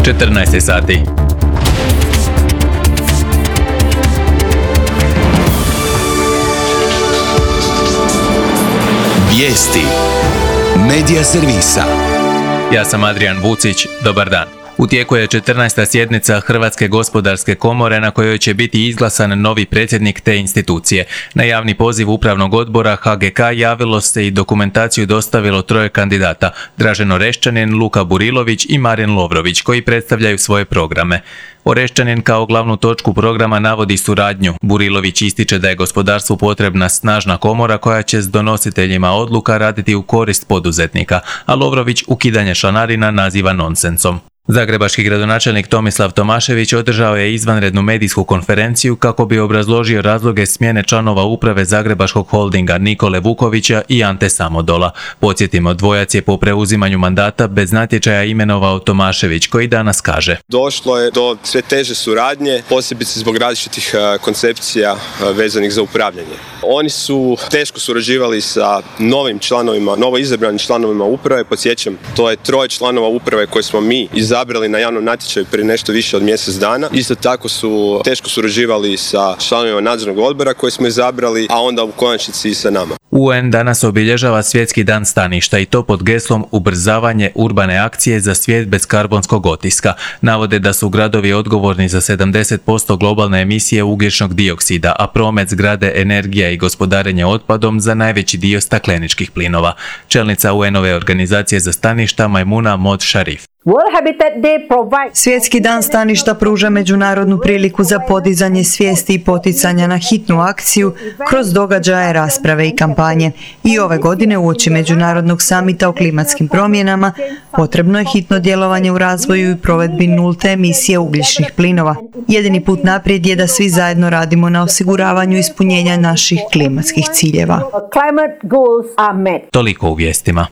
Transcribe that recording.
14 sati. Vijesti Medija servisa. Ja sam Adrian Vucić, dobar dan. U tijeku je 14. sjednica Hrvatske gospodarske komore na kojoj će biti izglasan novi predsjednik te institucije. Na javni poziv upravnog odbora HGK javilo se i dokumentaciju dostavilo 3 kandidata, Dražen Oreščanin, Luka Burilović i Marin Lovrović, koji predstavljaju svoje programe. Oreščanin kao glavnu točku programa navodi suradnju. Burilović ističe da je gospodarstvu potrebna snažna komora koja će s donositeljima odluka raditi u korist poduzetnika, a Lovrović ukidanje članarina naziva nonsensom. Zagrebački gradonačelnik Tomislav Tomašević održao je izvanrednu medijsku konferenciju kako bi obrazložio razloge smjene članova uprave Zagrebačkog holdinga Nikole Vukovića i Ante Samodola. Podsjetimo, dvojac je po preuzimanju mandata bez natječaja imenovao Tomašević, koji danas kaže: Došlo je do sve teže suradnje, posebice zbog različitih koncepcija vezanih za upravljanje. Oni su teško surađivali sa novo izabranim članovima uprave. Podsjećam, to je 3 članova uprave koje smo mi izabrali na javnom natječaju prije nešto više od mjesec dana. Isto tako su teško surađivali sa članovima nadzornog odbora koje smo izabrali, a onda u konačnici i sa nama. UN danas obilježava Svjetski dan staništa i to pod geslom ubrzavanje urbane akcije za svijet bez karbonskog otiska. Navode da su gradovi odgovorni za 70% globalne emisije ugljičnog dioksida, a promet, zgrade, energija i gospodarenje otpadom za najveći dio stakleničkih plinova. Čelnica UN-ove organizacije za staništa Majmuna Mod Sharif. Svjetski dan staništa pruža međunarodnu priliku za podizanje svijesti i poticanja na hitnu akciju kroz događaje, rasprave i kampanje. I ove godine uoči Međunarodnog samita o klimatskim promjenama potrebno je hitno djelovanje u razvoju i provedbi nulte emisije ugljičnih plinova. Jedini put naprijed je da svi zajedno radimo na osiguravanju ispunjenja naših klimatskih ciljeva. Toliko u vijestima.